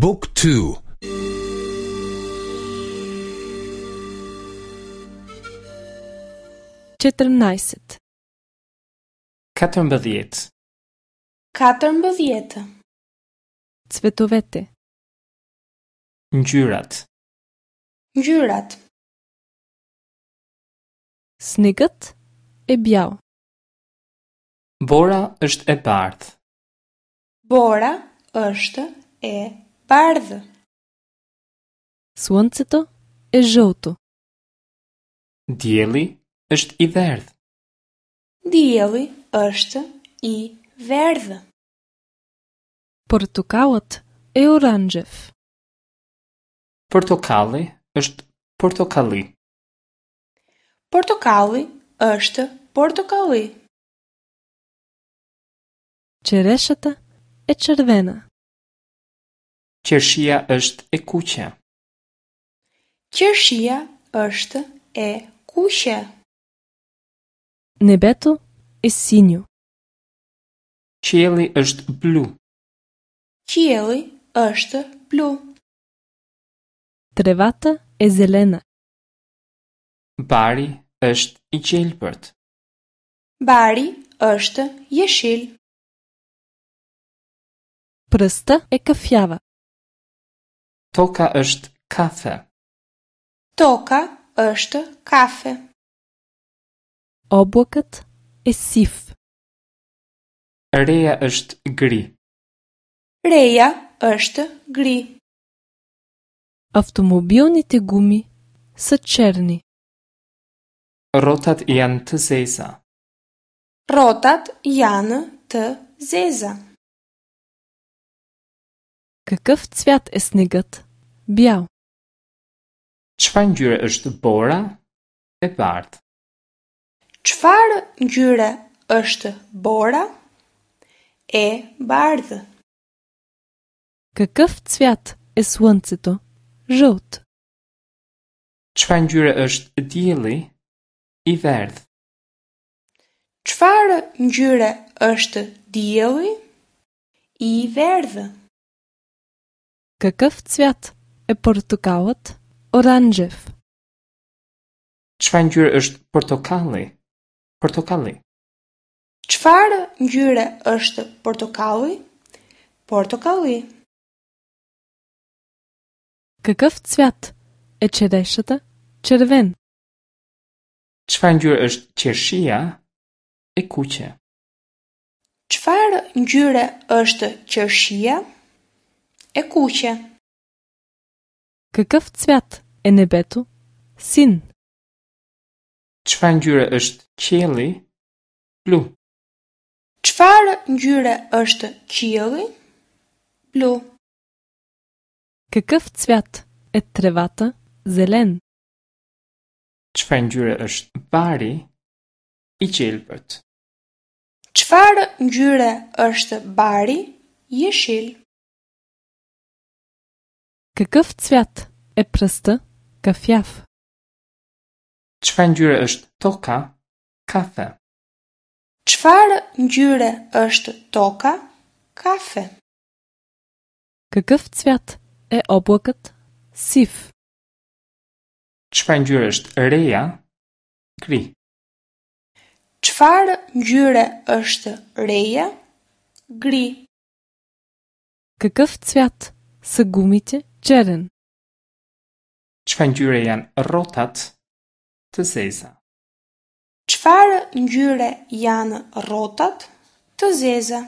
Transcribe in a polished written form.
บุ๊กทู 14. 14. 14. Cvetovete. Ngjyrat. Ngjyrat. Snegët e bjall. Bora është e bardhë. Bora është e bardhë. Слънцето е жълто. Dielli është i verdhë. Dielli është i verdhë. Портокалът е оранжев. Portokalli është portokalli. Portokalli është portokalli. Черешата е червена. Qershia është e kuqe. Qershia është e kuqe. Небето е синьо. Qielli është blu. Qielli është blu. Тревата е зелена. Bari është i gjelbërt. Bari është jeshil. Пръстта е кафява. Toka është kafe. Toka është kafe. Облакът е сив. Reja është gri. Reja është gri. Автомобилните гуми са черни. Rrotat janë të zeza. Rrotat janë të zeza. Какъв цвят е снегът? Бял. Çfarë ngjyre është bora? E bardhë. Çfarë ngjyre është bora? E bardhë. Какъв цвят е слънцето? Жълт. Çfarë ngjyre është dielli? I verdhë. Çfarë ngjyre është dielli? I verdhë. Какъв цвят е портокалът? Оранжев. Çfarë ngjyre është portokalli? Portokalli. Çfarë ngjyre është portokalli? Portokalli. Какъв цвят е черешата? Червен. Çfarë ngjyre është qershia? E kuqe. Çfarë ngjyre është qershia? E kuqe. Какъв цвят е небето? Син. Çfarë ngjyre është qielli? Blu. Çfarë ngjyre është qielli? Blu. Какъв цвят е тревата? Зелен. Çfarë ngjyre është bari? I gjelbërt. Çfarë ngjyre është bari? Jeshil. Какъв цвят е пръста? Кафяв. Çfarë ngjyre është toka? Kafe. Çfarë ngjyre është toka? Kafe. Какъв цвят е облакът? Сив. Çfarë ngjyre është reja? Gri. Çfarë ngjyre është reja? Gri. Какъв цвят са гумите? Черен. Çfarë ngjyre janë rrotat? Të zeza. Çfarë ngjyre janë rrotat? Të zeza.